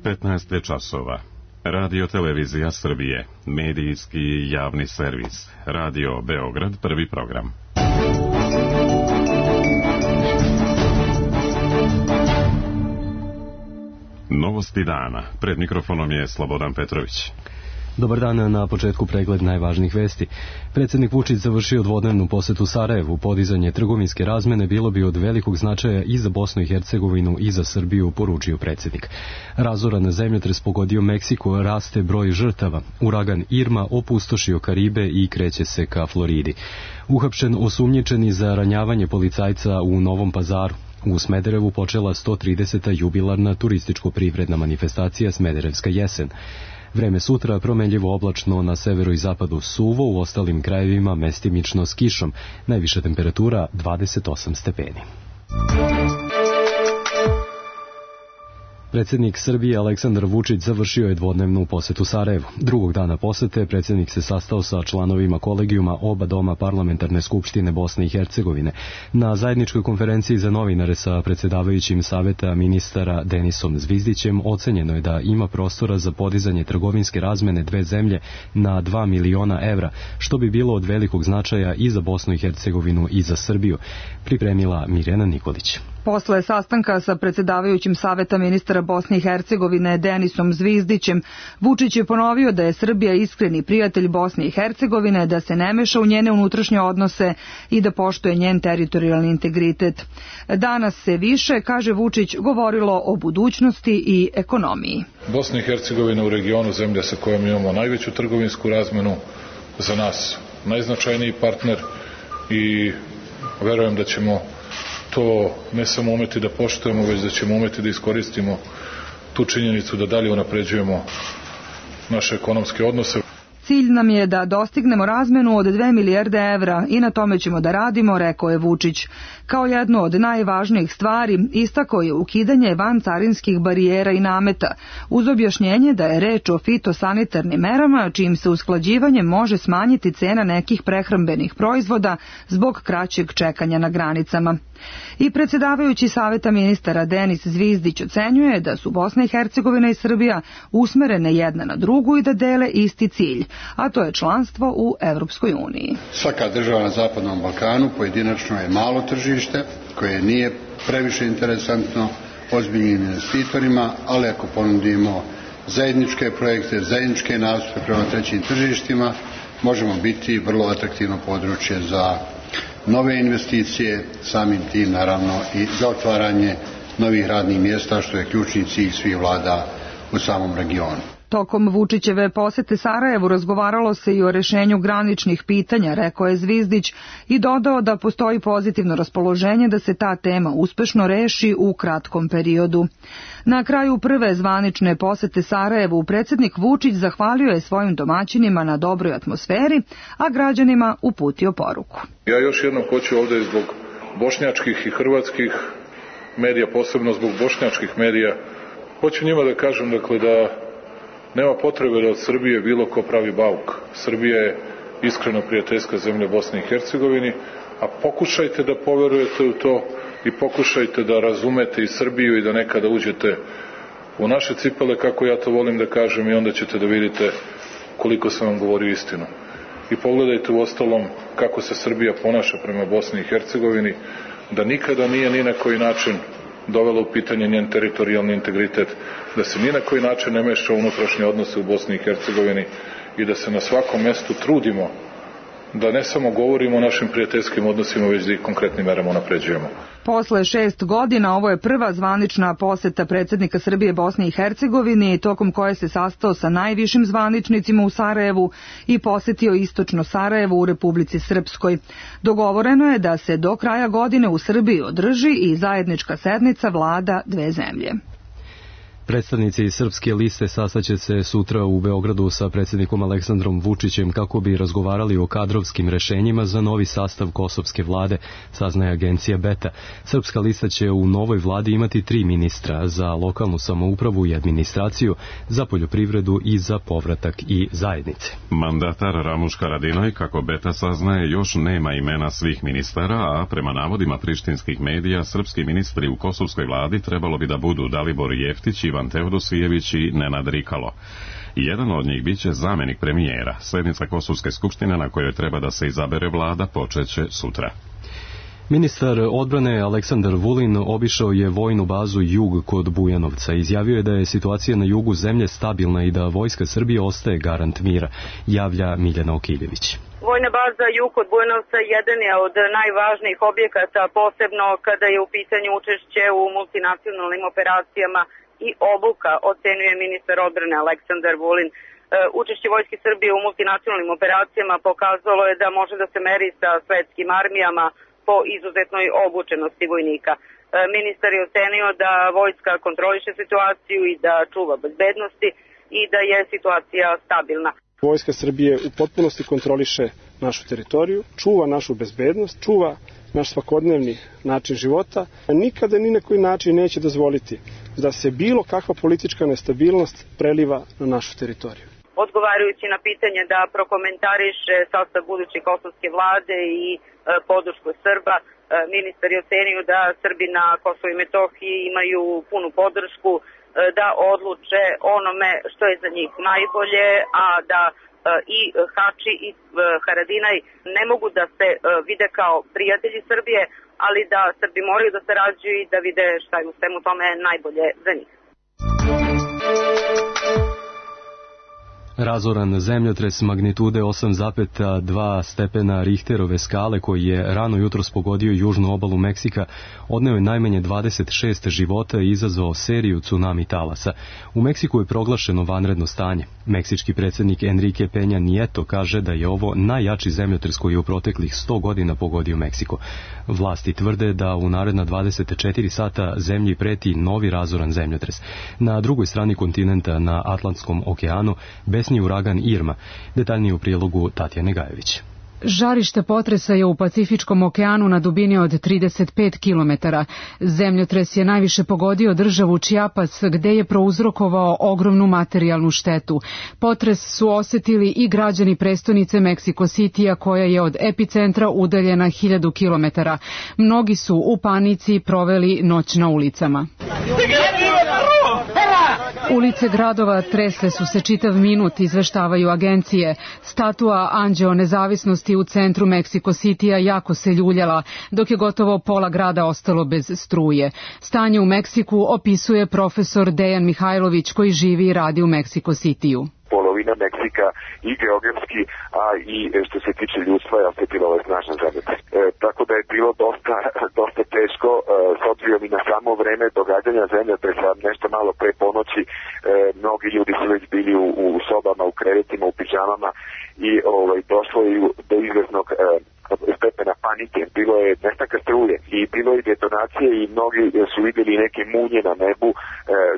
15 časova. Radio Televizija Srbije, medijski javni servis. Radio Beograd, prvi program. Novosti dana. Pred mikrofonom je Slobodan Petrović. Dobar dan, na početku pregled najvažnijih vesti. Predsjednik Vučić završio dvodnevnu posetu Sarajevu. Podizanje trgovinske razmene bilo bi od velikog značaja i za Bosnu i Hercegovinu i za Srbiju, poručio predsjednik. Razoran zemljotres pogodio Meksiko, raste broj žrtava. Uragan Irma opustošio Karibe i kreće se ka Floridi. Uhapšen osumnjičeni za ranjavanje policajca u Novom Pazaru. U Smederevu počela 130. jubilarna turističko-privredna manifestacija Smederevska jesen. Vreme sutra promenljivo oblačno, na severu i zapadu suvo, u ostalim krajevima mestimično s kišom. Najviša temperatura 28 stepeni. Predsjednik Srbije Aleksandar Vučić završio je dvodnevnu posetu Sarajevu. Drugog dana posete predsjednik se sastao sa članovima kolegijuma oba doma Parlamentarne skupštine Bosne i Hercegovine. Na zajedničkoj konferenciji za novinare sa predsjedavajućim Saveta ministara Denisom Zvizdićem ocenjeno je da ima prostora za podizanje trgovinske razmene dve zemlje na 2 miliona evra, što bi bilo od velikog značaja i za Bosnu i Hercegovinu i za Srbiju, pripremila Mirjana Nikolić. Posle sastanka sa predsjedavajućim Saveta ministara Bosne i Hercegovine Denisom Zvizdićem, Vučić je ponovio da je Srbija iskreni prijatelj Bosne i Hercegovine, da se ne meša u njene unutrašnje odnose i da poštuje njen teritorijalni integritet. Danas se više, kaže Vučić, govorilo o budućnosti i ekonomiji. Bosna i Hercegovina u regionu, zemlja sa kojom imamo najveću trgovinsku razmenu, za nas najznačajniji partner, i verujem da ćemo to ne samo umeti da poštujemo, već da ćemo umeti da iskoristimo tu činjenicu da dalje unapređujemo naše ekonomske odnose. Cilj nam je da dostignemo razmenu od 2 milijarde evra i na tome ćemo da radimo, rekao je Vučić. Kao jednu od najvažnijih stvari istakao je ukidanje vancarinskih barijera i nameta, uz objašnjenje da je reč o fitosanitarnim merama, čijim se usklađivanjem može smanjiti cena nekih prehrambenih proizvoda zbog kraćeg čekanja na granicama. I predsjedavajući Saveta ministara Denis Zvizdić ocenjuje da su Bosna i Hercegovina i Srbija usmerene jedna na drugu i da dele isti cilj, a to je članstvo u Evropskoj uniji. Svaka država na Zapadnom Balkanu pojedinačno je malo tržište koje nije previše interesantno ozbiljnim investitorima, ali ako ponudimo zajedničke projekte, zajedničke nastupe prema trećim tržištima, možemo biti vrlo atraktivno područje za nove investicije, samim tim naravno i za otvaranje novih radnih mjesta, što je ključni cilj svih vlada u samom regionu. Tokom Vučićeve posete Sarajevu razgovaralo se i o rešenju graničnih pitanja, rekao je Zvizdić, i dodao da postoji pozitivno raspoloženje da se ta tema uspešno reši u kratkom periodu. Na kraju prve zvanične posete Sarajevu predsjednik Vučić zahvalio je svojim domaćinima na dobroj atmosferi, a građanima uputio poruku. Ja još jednom hoću ovdje zbog bošnjačkih i hrvatskih medija, posebno zbog bošnjačkih medija, hoću njima da kažem da nema potrebe da od Srbije bilo ko pravi bauk. Srbija je iskreno prijateljska zemlja Bosni i Hercegovini, a pokušajte da poverujete u to i pokušajte da razumete i Srbiju i da nekada uđete u naše cipele, kako ja to volim da kažem, i onda ćete da vidite koliko sam vam govorio istinu. I pogledajte u ostalom kako se Srbija ponaša prema Bosni i Hercegovini, da nikada nije ni na koji način dovela u pitanje njen teritorijalni integritet, da se ni na koji način ne meša u unutrašnje odnose u Bosni i Hercegovini i da se na svakom mestu trudimo da ne samo govorimo o našim prijateljskim odnosima, već da ih konkretnim merama unapređujemo. Posle 6 godina ovo je prva zvanična poseta predsjednika Srbije Bosni i Hercegovini, tokom koje se sastao sa najvišim zvaničnicima u Sarajevu i posetio istočno Sarajevo u Republici Srpskoj. Dogovoreno je da se do kraja godine u Srbiji održi i zajednička sednica vlada dve zemlje. Predstavnici Srpske liste sastaće se sutra u Beogradu sa predsjednikom Aleksandrom Vučićem kako bi razgovarali o kadrovskim rešenjima za novi sastav kosovske vlade, saznaje agencija Beta. Srpska lista će u novoj vladi imati 3 ministra za lokalnu samoupravu i administraciju, za poljoprivredu i za povratak i zajednice. Mandatar Ramuš Haradinaj, kako Beta saznaje, još nema imena svih ministara, a prema navodima prištinskih medija, srpski ministri u kosovskoj vladi trebalo bi da budu Dalibor Jeftić i Ivan Teodosijević i Nenad Rikalo. Jedan od njih biće zamjenik premijera. Sjednica Kosovske skupštine na kojoj treba da se izabere vlada počeće sutra. Ministar odbrane Aleksandar Vulin obišao je vojnu bazu Jug kod Bujanovca. Izjavio je da je situacija na jugu zemlje stabilna i da Vojska Srbije ostaje garant mira, javlja Miljana Okiljević. Vojna baza Jug kod Bujanovca jedan je od najvažnijih objekata, posebno kada je u pitanju učešće u multinacionalnim operacijama i obuka, ocenjuje ministar odbrane Aleksandar Vulin. Učešće Vojske Srbije u multinacionalnim operacijama pokazalo je da može da se meri sa svetskim armijama po izuzetnoj obučenosti vojnika. Ministar je ocenio da vojska kontroliše situaciju i da čuva bezbednosti i da je situacija stabilna. Vojska Srbije u potpunosti kontroliše našu teritoriju, čuva našu bezbednost, čuva naš svakodnevni način života, a nikada ni na koji način neće dozvoliti da se bilo kakva politička nestabilnost preliva na našu teritoriju. Odgovarajući na pitanje da prokomentariše sastav buduće kosovske vlade i podršku Srba, ministar je ocenio da Srbi na Kosovu i Metohiji imaju punu podršku da odluče onome što je za njih najbolje, a da i Hači i Haradinaj ne mogu da se vide kao prijatelji Srbije, ali da Srbi moraju da sarađuju i da vide šta je u svemu tome najbolje za njih. Razoran zemljotres magnitude 8,2 stepena Richterove skale koji je rano jutros pogodio južnu obalu Meksika odneo je najmanje 26 života i izazvao seriju tsunami talasa. U Meksiku je proglašeno vanredno stanje. Meksički predsjednik Enrique Peña Nieto kaže da je ovo najjači zemljotres koji je u proteklih 100 godina pogodio Meksiko. Vlasti tvrde da u naredna 24 sata zemlji preti novi razoran zemljotres. Na drugoj strani kontinenta, na Atlantskom okeanu, besni uragan Irma. Detaljnije u prilogu Tatjane Gajević. Žarište potresa je u Pacifičkom okeanu na dubini od 35 km. Zemljotres je najviše pogodio državu Chiapas, gde je prouzrokovao ogromnu materijalnu štetu. Potres su osetili i građani prestonice Mexico Citya, koja je od epicentra udaljena 1000 km. Mnogi su u panici proveli noć na ulicama. Ulice gradova tresle su se čitav minut, izveštavaju agencije. Statua Anđeo nezavisnosti u centru Mexico Citya jako se ljuljala, dok je gotovo pola grada ostalo bez struje. Stanje u Meksiku opisuje profesor Dejan Mihajlović, koji živi i radi u Mexico Cityu. Polovina Meksika i geografski, a i što se tiče ljudstva je osetila ovaj snažan zemljotres. Tako da je bilo dosta teško, s obzirom i na samo vreme događanja zemljotresa, nešto malo pre ponoći, mnogi ljudi su već bili u sobama, u krevetima, u pidžamama i došlo je do izvesnog stepena panike. Bilo je nestanka struje i bilo je detonacije i mnogi su vidjeli neke munje na nebu.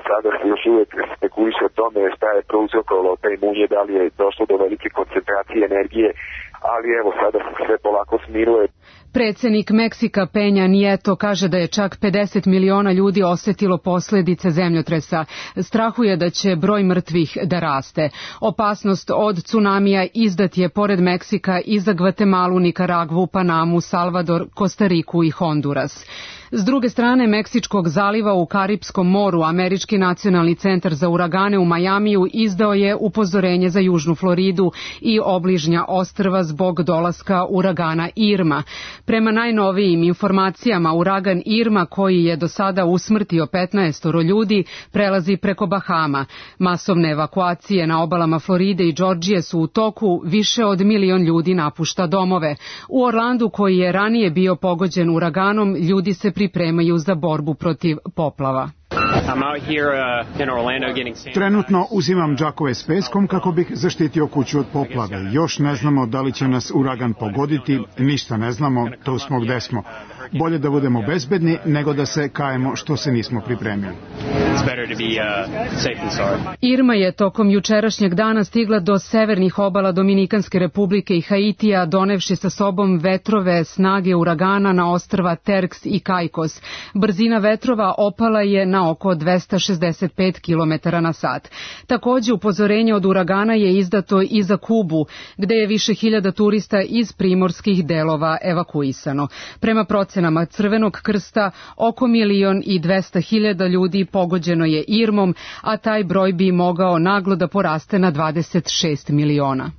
Sada se još uvijek spekuliše o tome šta je prouzrokovalo te munje, da li je došlo do velike koncentracije energije, ali evo sada se sve polako smiruje. Predsjednik Meksika Peña Nieto kaže da je čak 50 miliona ljudi osetilo posljedice zemljotresa. Strahuje da će broj mrtvih da raste. Opasnost od tsunamija izdat je pored Meksika i za Gvatemalu, Nikaragvu, Panamu, Salvador, Kostariku i Honduras. S druge strane Meksičkog zaliva u Karipskom moru, Američki nacionalni centar za uragane u Majamiju izdao je upozorenje za Južnu Floridu i obližnja ostrva zbog dolaska uragana Irma. Prema najnovijim informacijama, uragan Irma, koji je do sada usmrtio 15 ljudi, prelazi preko Bahama. Masovne evakuacije na obalama Floride i Džordžije su u toku, više od 1 milion ljudi napušta domove. U Orlandu, koji je ranije bio pogođen uraganom, ljudi se pripremaju za borbu protiv poplava. Trenutno uzimam džakove s peskom kako bih zaštitio kuću od poplave. Još ne znamo da li će nas uragan pogoditi, ništa ne znamo, tu smo gde smo. Bolje da budemo bezbedni nego da se kajemo što se nismo pripremili. Irma je tokom jučerašnjeg dana stigla do severnih obala Dominikanske republike i Haitija, donevši sa sobom vetrove snage uragana na ostrva Terks i Caicos. Brzina vetrova opala je na oko 265 km na sat. Takođe, upozorenje od uragana je izdato i za Kubu, gde je više hiljada turista iz primorskih delova evakuisano. Prema procenama procenama Crvenog krsta, oko 1.200.000 ljudi pogođeno je irmom, a taj broj bi mogao naglo da poraste na 26 miliona.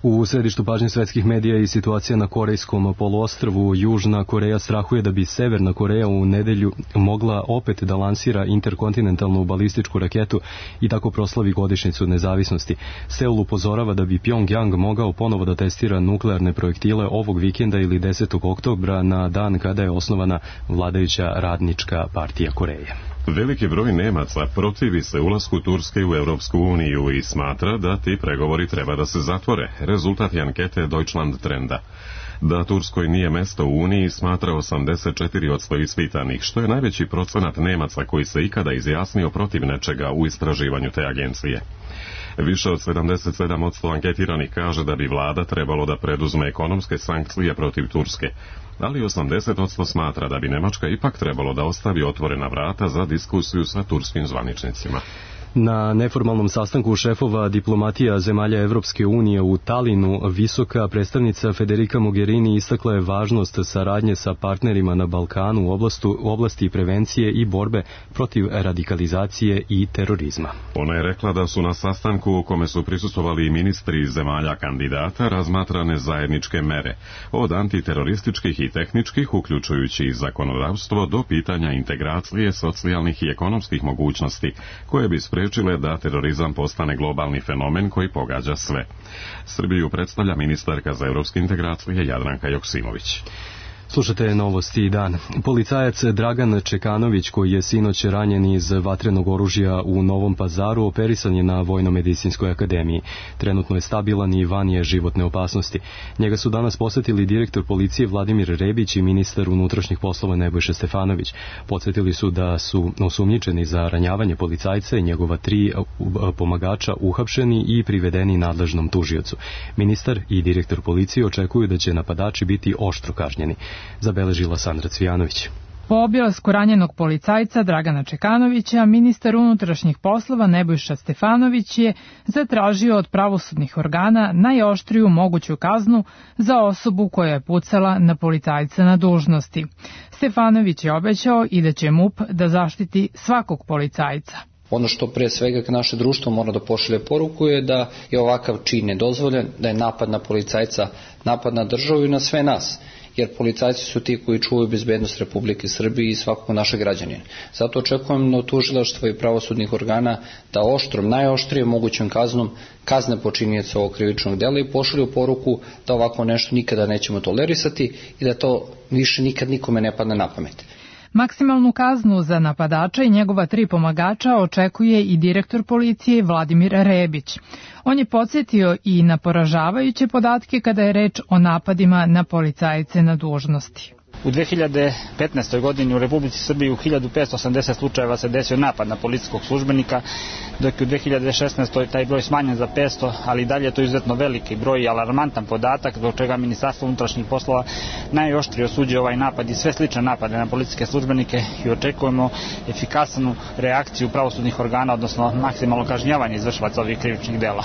U središtu pažnje svetskih medija i situacija na Korejskom poluostrvu. Južna Koreja strahuje da bi Severna Koreja u nedelju mogla opet da lansira interkontinentalnu balističku raketu i tako proslavi godišnjicu nezavisnosti. Seul upozorava da bi Pyongyang mogao ponovo da testira nuklearne projektile ovog vikenda ili 10. oktobra na dan kada je osnovana vladajuća Radnička partija Koreje. Veliki broj Nemaca protivi se ulasku Turske u Europsku uniju i smatra da ti pregovori treba da se zatvore. Rezultat je ankete Deutschland Trenda. Da Turskoj nije mesto u Uniji smatra 84% ispitanih, što je najveći procenat Nemaca koji se ikada izjasnio protiv nečega u istraživanju te agencije. Više od 77% anketiranih kaže da bi vlada trebalo da preduzme ekonomske sankcije protiv Turske, ali 80% smatra da bi Nemačka ipak trebalo da ostavi otvorena vrata za diskusiju sa turskim zvaničnicima. Na neformalnom sastanku šefova diplomatija zemalja Evropske unije u Talinu, visoka predstavnica Federica Mogherini istakla je važnost saradnje sa partnerima na Balkanu u oblasti prevencije i borbe protiv radikalizacije i terorizma. Ona je rekla da su na sastanku u kome su prisustvovali i ministri zemalja kandidata razmatrane zajedničke mere, od antiterorističkih i tehničkih, uključujući i zakonodavstvo, do pitanja integracije socijalnih i ekonomskih mogućnosti, koje bi sprečile da terorizam postane globalni fenomen koji pogađa sve. Srbiju predstavlja ministarka za evropske integracije Jadranka Joksimović. Slušate Novosti dan. Policajac Dragan Čekanović, koji je sinoć ranjen iz vatrenog oružja u Novom Pazaru, operisan je na Vojno-medicinskoj akademiji. Trenutno je stabilan i van je životne opasnosti. Njega su danas posetili direktor policije Vladimir Rebić i ministar unutrašnjih poslova Nebojša Stefanović. Podsjetili su da su osumnjičeni za ranjavanje policajca i njegova 3 pomagača uhapšeni i privedeni nadležnom tužiocu. Ministar i direktor policije očekuju da će napadači biti oštro kažnjeni. Zabeležila Sandra Cvijanović. Po obilasku ranjenog policajca Dragana Čekanovića, ministar unutrašnjih poslova Nebojša Stefanović je zatražio od pravosudnih organa najoštriju moguću kaznu za osobu koja je pucala na policajca na dužnosti. Stefanović je obećao i da će MUP da zaštiti svakog policajca. Ono što pre svega naše društvo mora da pošalje poruku je da je ovakav čin nedozvoljen, da je napad na policajca napad na državu i na sve nas. Jer policajci su ti koji čuvaju bezbednost Republike Srbije i svakog našeg građanina. Zato očekujem od tužilaštva i pravosudnih organa da oštrom, najoštrijom mogućom kaznom kazne počinioca ovog krivičnog dela i pošalju poruku da ovako nešto nikada nećemo tolerisati i da to više nikad nikome ne padne na pamet. Maksimalnu kaznu za napadača i njegova 3 pomagača očekuje i direktor policije Vladimir Rebić. On je podsjetio i na poražavajuće podatke kada je reč o napadima na policajce na dužnosti. U 2015. godini u Republici Srbiji u 1580 slučajeva se desio napad na policijskog službenika, dok je u 2016. taj broj smanjen za 500, ali i dalje je to izuzetno veliki broj i alarmantan podatak, zbog čega Ministarstvo unutrašnjih poslova najoštrije osuđuje ovaj napad i sve slične napade na policijske službenike i očekujemo efikasnu reakciju pravosudnih organa, odnosno maksimalno kažnjavanje izvršilaca ovih krivičnih dela.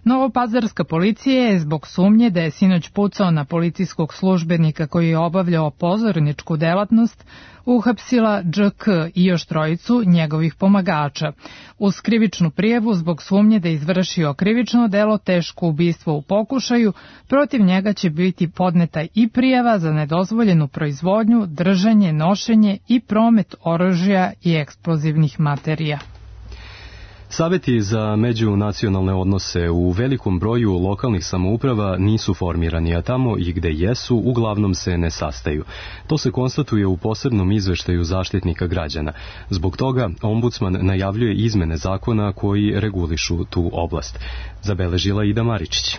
Novopazarska policija je zbog sumnje da je sinoć pucao na policijskog službenika koji je obavljao pozorničku delatnost, uhapsila DŽK i još 3 njegovih pomagača. Uz krivičnu prijavu zbog sumnje da je izvršio krivično delo teško ubistvo u pokušaju, protiv njega će biti podneta i prijava za nedozvoljenu proizvodnju, držanje, nošenje i promet oružja i eksplozivnih materija. Saveti za međunacionalne odnose u velikom broju lokalnih samouprava nisu formirani, a tamo i gde jesu, uglavnom se ne sastaju. To se konstatuje u posebnom izveštaju Zaštitnika građana. Zbog toga ombudsman najavljuje izmene zakona koji regulišu tu oblast. Zabeležila Ida Maričić.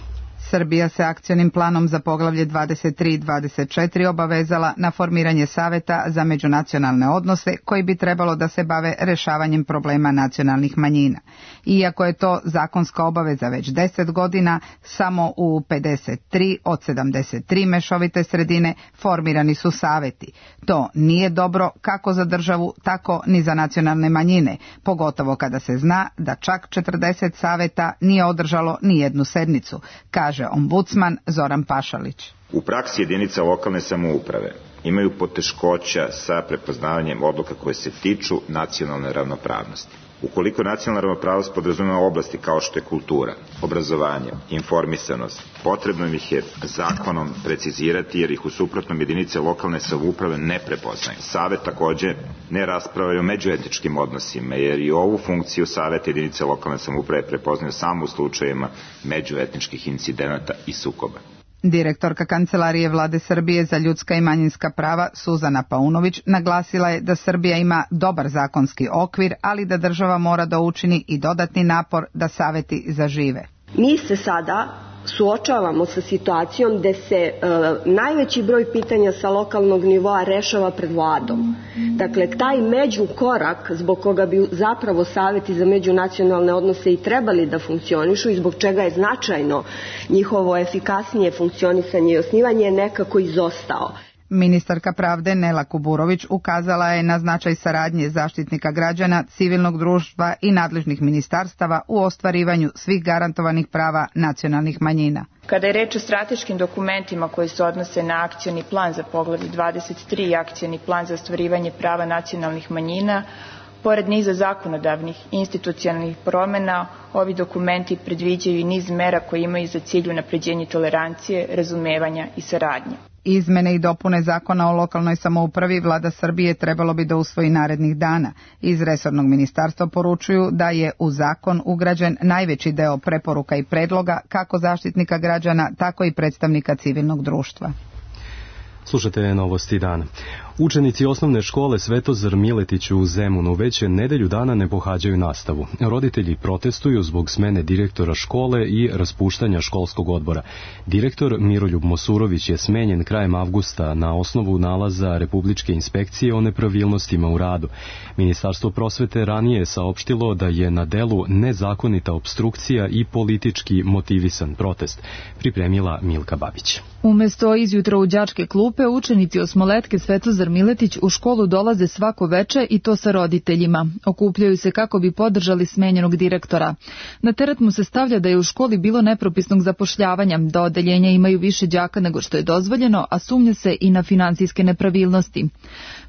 Srbija se akcionim planom za poglavlje 23 i 24 obavezala na formiranje saveta za međunacionalne odnose koji bi trebalo da se bave rešavanjem problema nacionalnih manjina. Iako je to zakonska obaveza već 10 godina, samo u 53 od 73 mešovite sredine formirani su saveti. To nije dobro kako za državu, tako ni za nacionalne manjine, pogotovo kada se zna da čak 40 saveta nije održalo ni jednu sednicu, kaže ombudsman Zoran Pašalić. U praksi jedinica lokalne samouprave imaju poteškoća sa prepoznavanjem odluka koje se tiču nacionalne ravnopravnosti. Ukoliko nacionalna ravnopravnost podrazumeva oblasti kao što je kultura, obrazovanje, informisanost, potrebno ih je zakonom precizirati jer ih u suprotnom jedinice lokalne samouprave ne prepoznaju. Savet takođe ne raspravlja o međuetničkim odnosima jer i ovu funkciju Saveta jedinice lokalne samouprave prepoznaju samo u slučajevima međuetničkih incidenata i sukoba. Direktorka Kancelarije Vlade Srbije za ljudska i manjinska prava Suzana Paunović naglasila je da Srbija ima dobar zakonski okvir, ali da država mora da učini i dodatni napor da saveti zažive. Mi se sada suočavamo sa situacijom gde se najveći broj pitanja sa lokalnog nivoa rešava pred vladom. Dakle, taj međukorak zbog koga bi zapravo saveti za međunacionalne odnose i trebali da funkcionišu i zbog čega je značajno njihovo efikasnije funkcionisanje i osnivanje je nekako izostao. Ministarka pravde Nela Kuburović ukazala je na značaj saradnje Zaštitnika građana, civilnog društva i nadležnih ministarstava u ostvarivanju svih garantovanih prava nacionalnih manjina. Kada je reč o strateškim dokumentima koji se odnose na akcioni plan za poglavlje 23 i akcioni plan za ostvarivanje prava nacionalnih manjina, pored niza zakonodavnih i institucionalnih promena, ovi dokumenti predviđaju i niz mera koje imaju za cilj unapređenje tolerancije, razumevanja i saradnje. Izmene i dopune zakona o lokalnoj samoupravi Vlada Srbije trebalo bi da usvoji narednih dana. Iz resornog ministarstva poručuju da je u zakon ugrađen najveći deo preporuka i predloga kako Zaštitnika građana, tako i predstavnika civilnog društva. Slušate novosti dana. Učenici osnovne škole Svetozar Miletić u Zemunu već nedelju dana ne pohađaju nastavu. Roditelji protestuju zbog smene direktora škole i raspuštanja školskog odbora. Direktor Miroljub Mosurović je smenjen krajem avgusta na osnovu nalaza Republičke inspekcije o nepravilnostima u radu. Ministarstvo prosvete ranije je saopštilo da je na delu nezakonita opstrukcija i politički motivisan protest, pripremila Milka Babić. Umesto izjutra u đačke klupe, učenici osmoletke Svetozar Miletić u školu dolaze svako veče i to sa roditeljima. Okupljaju se kako bi podržali smenjenog direktora. Na teret mu se stavlja da je u školi bilo nepropisnog zapošljavanja, da odeljenja imaju više đaka nego što je dozvoljeno, a sumnja se i na finansijske nepravilnosti.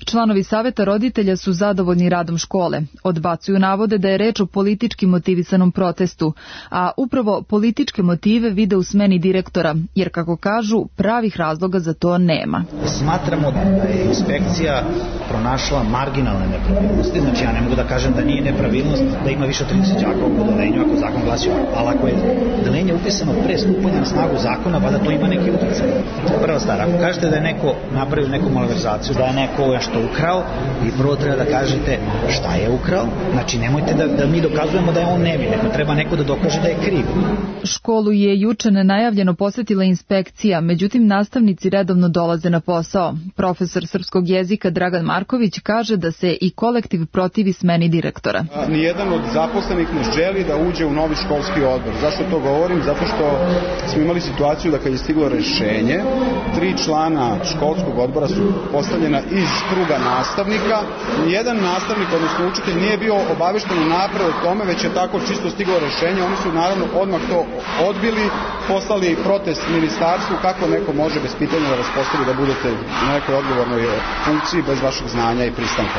Članovi saveta roditelja su zadovoljni radom škole. Odbacuju navode da je reč o politički motivisanom protestu, a upravo političke motive vide u smeni direktora, jer kako kažu, pravih razloga za to nema. Smatramo da je inspekcija pronašla marginalne nepravilnosti, znači ja ne mogu da kažem da nije nepravilnost da ima više od 30 đaka u odeljenju ako zakon glasi, ali ako je odeljenje upisano pre stupanja na snagu zakona, valjda to ima neki uticaj. Prva stvar, ako kažete da je neko napravio neku malverzaciju, da je neko nešto ukrao, vi prvo treba da kažete šta je ukrao, znači nemojte da mi dokazujemo da je on nevin, nego treba neko da dokaže da je kriv. Školu je juče nenajavljeno posetila inspekcija, međutim nastavnici redovno dolaze na posao. Profesor srpskog jezika Dragan Marković kaže da se i kolektiv protivi smeni direktora. Nijedan od zaposlenih ne želi da uđe u novi školski odbor. Zašto to govorim? Zato što smo imali situaciju da kad je stiglo rešenje, 3 člana školskog odbora su postavljena iz kruga nastavnika. Nijedan nastavnik, odnosno učitelj, nije bio obavešten unapred o tome, već je tako čisto stiglo rešenje. Oni su naravno odmah to odbili, poslali protest ministarstvu kako neko može bez pitanja da vas postavi da budete na nekoj odgovornoj funkciji bez vašeg znanja i pristanka.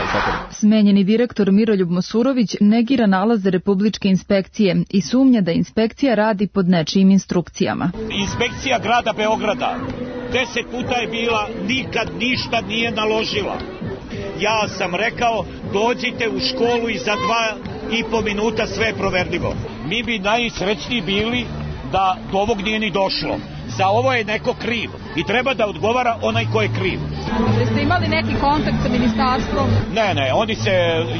Smenjeni direktor Miroljub Mosurović negira nalaze Republičke inspekcije i sumnja da inspekcija radi pod nečijim instrukcijama. Inspekcija grada Beograda 10 puta je bila, nikad ništa nije naložila. Ja sam rekao, dođite u školu i za 2,5 minuta sve je proverljivo. Mi bi najsrećniji bili da do ovog nije ni došlo. Za ovo je neko kriv i treba da odgovara onaj ko je kriv. Jeste imali neki kontakt sa ministarstvom? Ne, oni se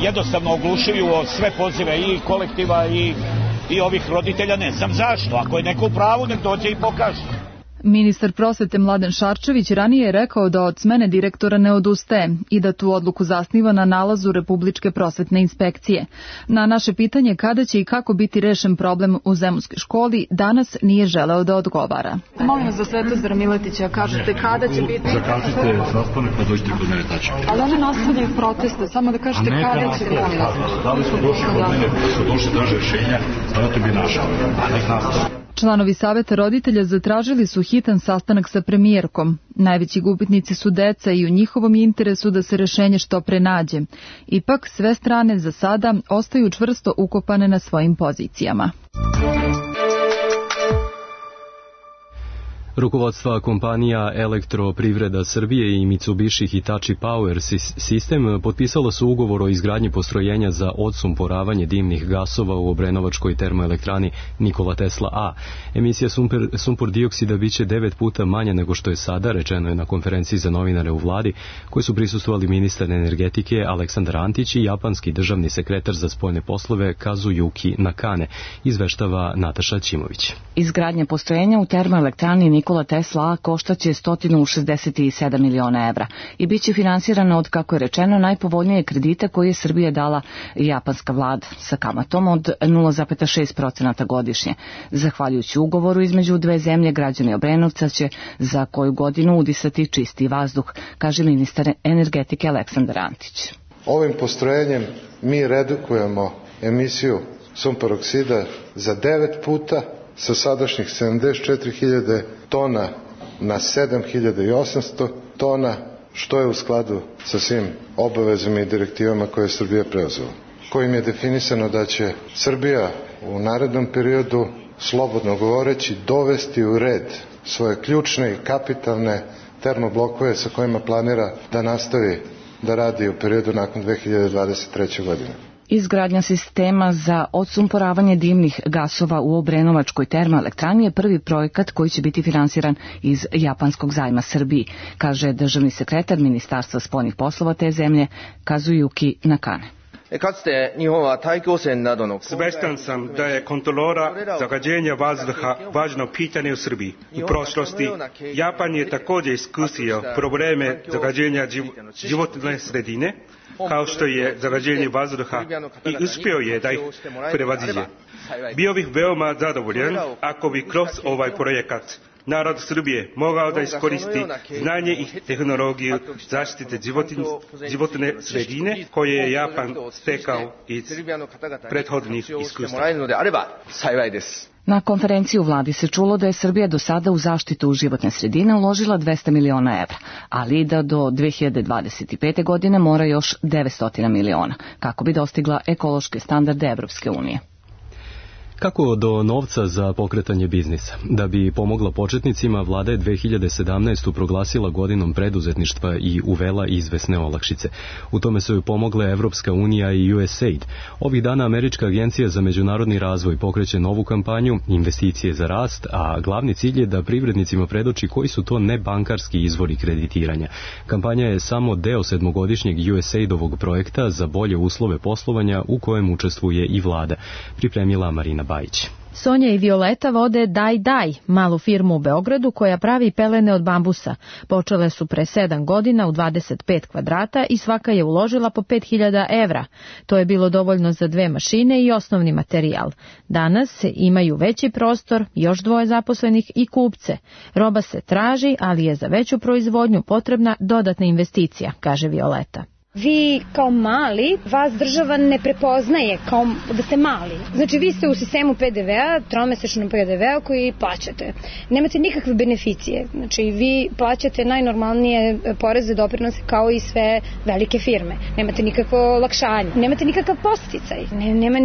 jednostavno oglušuju o sve pozive i kolektiva i ovih roditelja, ne znam zašto. Ako je neko u pravu, nek dođe i pokaže. Ministar prosvete Mladen Šarčević ranije je rekao da od smene direktora ne odustaje i da tu odluku zasniva na nalazu Republičke prosvetne inspekcije. Na naše pitanje kada će i kako biti rešen problem u zemunskoj školi, danas nije želeo da odgovara. Molim vas za Svetozara Miletića, kažete kada će biti... Zakažite sastanak pa dođite kod mene tačno. Ali oni nastavljaju proteste, samo da kažete kada će biti. Da li su došli kod mene, su došli traže rešenja, pa to bi našao, a nek nastavljaju. Članovi saveta roditelja zatražili su hitan sastanak sa premijerkom. Najveći gubitnici su deca i u njihovom interesu da se rešenje što pre nađe. Ipak sve strane za sada ostaju čvrsto ukopane na svojim pozicijama. Rukovodstva kompanija Elektroprivreda Srbije i Mitsubishi Hitachi Power System potpisalo su ugovor o izgradnji postrojenja za odsumporavanje dimnih gasova u obrenovačkoj termoelektrani Nikola Tesla A. Emisija sumpor dioksida biće 9 puta manja nego što je sada, rečeno je na konferenciji za novinare u vladi, koji su prisustvovali ministar energetike Aleksandar Antić i japanski državni sekretar za spoljne poslove Kazuyuki Nakane, izveštava Nataša Ćimović. Izgradnja postrojenja u termoelektrani Nikola Tesla A koštaće 167 miliona evra i biće finansirana od, kako je rečeno, najpovoljnije kredita koje je Srbija dala japanska vlada sa kamatom od 0,6% godišnje. Zahvaljujući ugovoru između dve zemlje, građani Obrenovca će za koju godinu udisati čisti vazduh, kaže ministar energetike Aleksandar Antić. Ovim postrojenjem mi redukujemo emisiju sumporoksida za 9 puta, sa sadašnjih 74.000 tona na 7.800 tona, što je u skladu sa svim obavezama i direktivama koje je Srbija preuzela, kojim je definisano da će Srbija u narednom periodu, slobodno govoreći, dovesti u red svoje ključne i kapitalne termoblokove sa kojima planira da nastavi da radi u periodu nakon 2023. godine. Izgradnja sistema za odsumporavanje dimnih gasova u obrenovačkoj termoelektrani je prvi projekat koji će biti finansiran iz japanskog zajma Srbiji, kaže državni sekretar Ministarstva spoljnih poslova te zemlje Kazuyuki Nakane. Svestan sam da je kontrola zagađenja vazduha važno pitanje u Srbiji. U prošlosti Japan je također iskusio probleme zagađenja životne sredine, kao što je zagađenje vazduha, i uspio je da ih prevaziđe. Bio bih veoma zadovoljan ako bi kroz ovaj projekat narod Srbije mogao da iskoristi znanje i tehnologiju zaštite životne sredine koje je Japan stekao iz prethodnih iskustva. Na konferenciji u vladi se čulo da je Srbija do sada u zaštitu životne sredine uložila 200 miliona evra, ali da do 2025. godine mora još 900 miliona, kako bi dostigla ekološke standarde Evropske unije. Kako do novca za pokretanje biznisa? Da bi pomogla početnicima, vlada je 2017. proglasila godinom preduzetništva i uvela izvesne olakšice. U tome su joj pomogle Evropska unija i USAID. Ovih dana Američka agencija za međunarodni razvoj pokreće novu kampanju Investicije za rast, a glavni cilj je da privrednicima predoči koji su to nebankarski izvori kreditiranja. Kampanja je samo deo 7-godišnjeg USAID-ovog projekta za bolje uslove poslovanja u kojem učestvuje i vlada, pripremila Marina Bajić. Sonja i Violeta vode Daj, malu firmu u Beogradu koja pravi pelene od bambusa. Počele su pre 7 godina u 25 kvadrata i svaka je uložila po 5.000 evra. To je bilo dovoljno za 2 mašine i osnovni materijal. Danas imaju veći prostor, još 2 zaposlenih i kupce. Roba se traži, ali je za veću proizvodnju potrebna dodatna investicija, kaže Violeta. Vi kao mali, vas država ne prepoznaje kao da ste mali. Znači vi ste u sistemu PDV-a, tromesečnom PDV-a koji plaćate. Nemate nikakve beneficije. Znači vi plaćate najnormalnije poreze, doprinose kao i sve velike firme. Nemate nikakvo olakšanje. Nemate nikakav podsticaj. Nema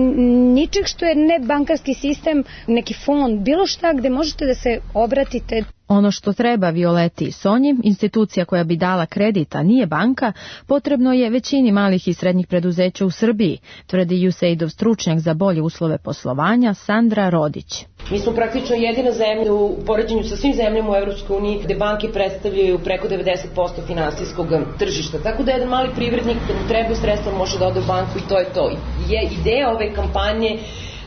ničeg što je nebankarski sistem, neki fond, bilo šta gde možete da se obratite. Ono što treba Violeti i Sonji, institucija koja bi dala kredit, a nije banka, potrebno je većini malih i srednjih preduzeća u Srbiji, tvrdi USAID-ov stručnjak za bolje uslove poslovanja Sandra Rodić. Mi smo praktično jedina zemlja u poređenju sa svim zemljama u Evropskoj uniji gde banke predstavljaju preko 90% finansijskog tržišta. Tako da jedan mali privrednik kad mu treba sredstva može da ode u banku i to je to. Je ideja ove kampanje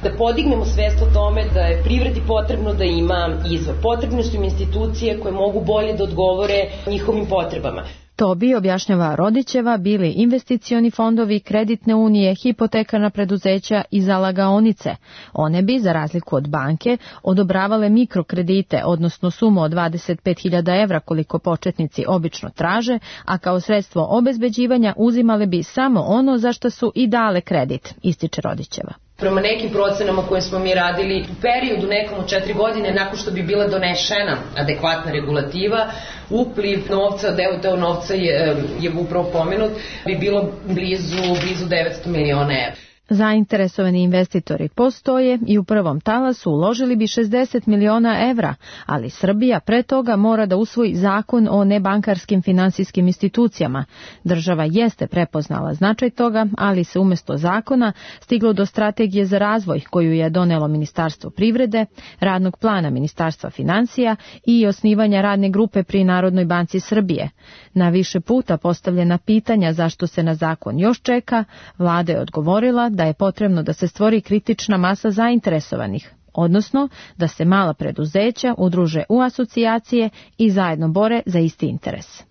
da podignemo svest o tome da je privredi potrebno da ima izvor. Potrebne su im institucije koje mogu bolje da odgovore njihovim potrebama. To bi, objašnjava Rodićeva, bili investicioni fondovi, kreditne unije, hipotekarna preduzeća i zalagaonice. One bi, za razliku od banke, odobravale mikrokredite, odnosno sumu od 25.000 evra koliko početnici obično traže, a kao sredstvo obezbeđivanja uzimale bi samo ono za što su i dale kredit, ističe Rodićeva. Prema nekim procenama koje smo mi radili u periodu nekom od 4 godine nakon što bi bila donešena adekvatna regulativa, upliv novca, deo novca je upravo pomenut, bi bilo blizu 900 miliona evra. Zainteresovani investitori postoje i u prvom talasu uložili bi 60 miliona evra, ali Srbija pre toga mora da usvoji zakon o nebankarskim finansijskim institucijama. Država jeste prepoznala značaj toga, ali se umesto zakona stiglo do strategije za razvoj koju je donelo Ministarstvo privrede, radnog plana Ministarstva finansija i osnivanja radne grupe pri Narodnoj banci Srbije. Na više puta postavljena pitanja zašto se na zakon još čeka, vlada je odgovorila da je potrebno da se stvori kritična masa zainteresovanih, odnosno da se mala preduzeća udruže u asocijacije i zajedno bore za isti interes.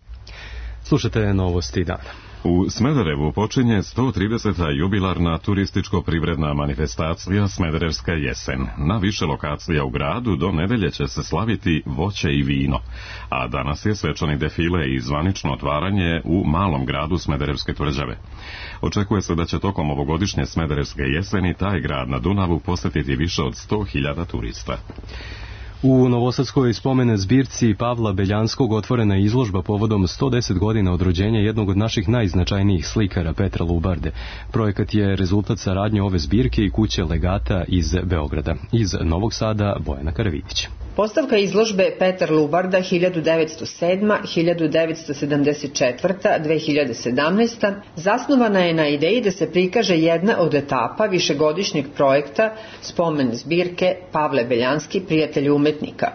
Slušajte novosti dana. U Smederevu počinje 130. jubilarna turističko-privredna manifestacija Smederevska jesen. Na više lokacija u gradu do nedelje će se slaviti voće i vino, a danas je svečani defile i zvanično otvaranje u malom gradu Smederevske tvrđave. Očekuje se da će tokom ovogodišnje Smederevske jeseni taj grad na Dunavu posjetiti više od 100.000 turista. U novosadskoj spomene zbirci Pavla Beljanskog otvorena je izložba povodom 110 godina od rođenja jednog od naših najznačajnijih slikara Petra Lubarde. Projekat je rezultat saradnje ove zbirke i kuće legata iz Beograda. Iz Novog Sada Bojana Karavidić. Postavka izložbe Petar Lubarda 1907. 1974. 2017. zasnovana je na ideji da se prikaže jedna od etapa višegodišnjeg projekta spomen zbirke Pavle Beljanski, prijatelj umetnika,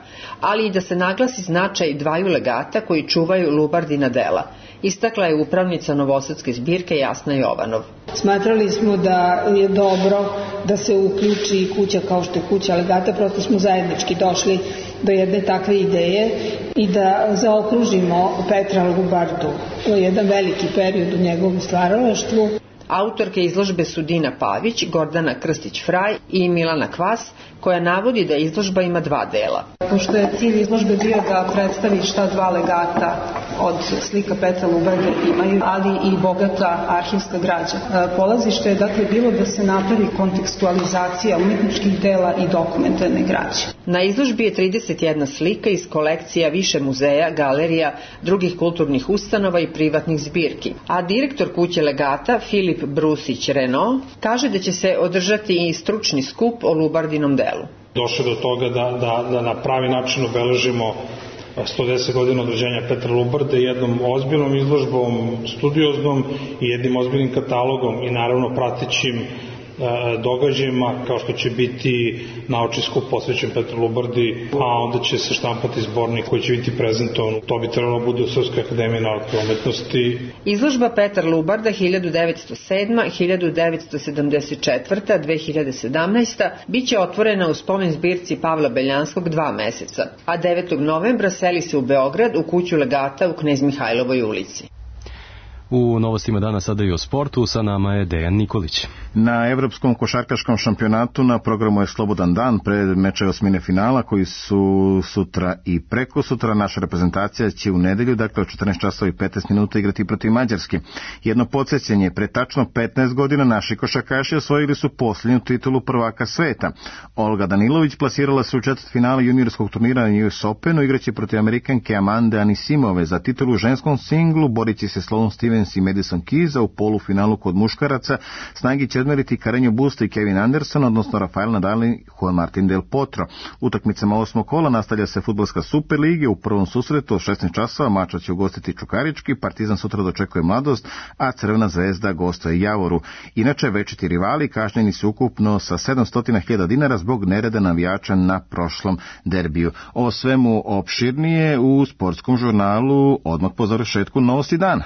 ali i da se naglasi značaj dvaju legata koji čuvaju Lubardina dela, istakla je upravnica novosadske zbirke Jasna Jovanov. Smatrali smo da je dobro da se uključi kuća kao što je kuća legata, prosto smo zajednički došli do jedne takve ideje i da zaokružimo Petra Lubardu. To je jedan veliki period u njegovom stvaralaštvu. Autorke izložbe su Dina Pavić, Gordana Krstić-Fraj i Milana Kvas, koja navodi da izložba ima dva dela. Pošto je cilj izložbe bio da predstavi šta dva legata od slika Petra Lubarde imaju, ali i bogata arhivska građa. Polazište je dakle bilo da se napravi kontekstualizacija umetničkih dela i dokumentarne građe. Na izložbi je 31 slika iz kolekcija više muzeja, galerija, drugih kulturnih ustanova i privatnih zbirki. A direktor kuće legata Filip Brusić-Renault kaže da će se održati i stručni skup o Lubardinom delu. Došlo do toga da na pravi način obeležimo 110 godina od rođenja Petra Lubarde jednom ozbiljnom izložbom, studioznom i jednim ozbiljnim katalogom i naravno pratećim događajima kao što će biti naučni skup posvećen Petru Lubardi, a onda će se štampati zbornik koji će biti prezentovan. To bi trebalo bude u Srpskoj akademiji nauke i umetnosti. Izložba Petar Lubarda 1907. 1974. 2017. biće otvorena u spomen zbirci Pavla Beljanskog 2 meseca, a 9. novembra seli se u Beograd u kuću legata u Knez Mihajlovoj ulici. U novostima dana sada i o sportu, sa nama je Dejan Nikolić. Na Evropskom košarkaškom šampionatu na programu je slobodan dan pred mečeve osmine finala koji su sutra i preko sutra. Naša reprezentacija će u nedelju, dakle od 14 časova i 15 minuta igrati protiv Mađarske. Jedno podsjećanje, pre tačno 15 godina naši košarkaši osvojili su posljednju titulu prvaka sveta. Olga Danilović plasirala se u četvrtfinalu juniorskog turnira na US Openu, igraće protiv Amerikanke Amande Anisimove. Za titulu u ženskom singlu borići se Sloane Stevens i Madison Keys, a u polufinalu kod muškaraca snagi će odmeriti Carreño Busta i Kevin Anderson, odnosno Rafael Nadal i Juan Martín del Potro. Utakmicama 8. kola nastavlja se fudbalska Superliga. U prvom susretu od 16 časova mača će ugostiti Čukarički, Partizan sutra dočekuje Mladost, a Crvena zvezda gostuje Javoru. Inače, večiti rivali kažnjeni su ukupno sa 700.000 dinara zbog nereda navijača na prošlom derbiju. O svemu opširnije u sportskom žurnalu odmah po završetku novosti dana.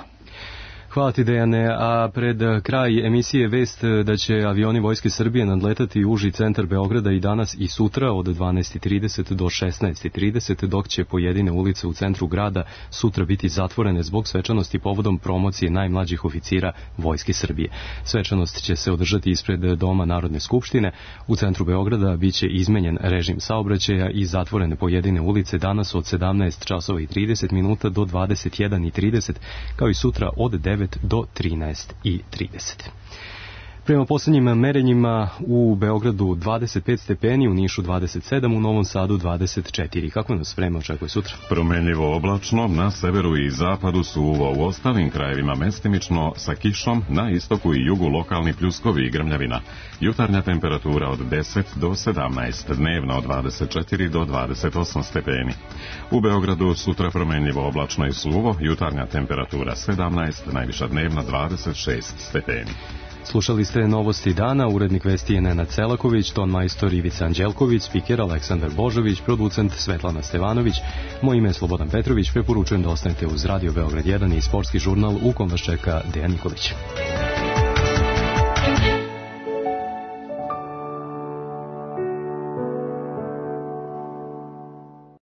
Hvala ti, Dejane, a pred kraj emisije vest da će avioni Vojske Srbije nadletati uži centar Beograda i danas i sutra od 12.30 do 16.30, dok će pojedine ulice u centru grada sutra biti zatvorene zbog svečanosti povodom promocije najmlađih oficira Vojske Srbije. Svečanost će se održati ispred Doma Narodne skupštine. U centru Beograda biće izmenjen režim saobraćaja i zatvorene pojedine ulice danas od 17 časova i 30 minuta do 21.30, kao i sutra od 9 do 13.30. Prema posljednjim merenjima u Beogradu 25 stepeni, u Nišu 27, u Novom Sadu 24. Kako nas vreme očekuje sutra? Promenljivo oblačno, na severu i zapadu suvo, u ostalim krajevima mestimično sa kišom, na istoku i jugu lokalni pljuskovi i grmljavina. Jutarnja temperatura od 10 do 17, dnevna od 24 do 28 stepeni. U Beogradu sutra promenljivo oblačno i suvo, jutarnja temperatura 17, najviša dnevna 26 stepeni. Slušali ste novosti dana, urednik vesti je Nenad Celaković, ton majstor Ivica Anđelković, spiker Aleksandar Božović, producent Svetlana Stevanović. Moje ime je Slobodan Petrović, preporučujem da ostanete uz Radio Beograd 1 i sportski žurnal u kom vas čeka Dejan Nikolić.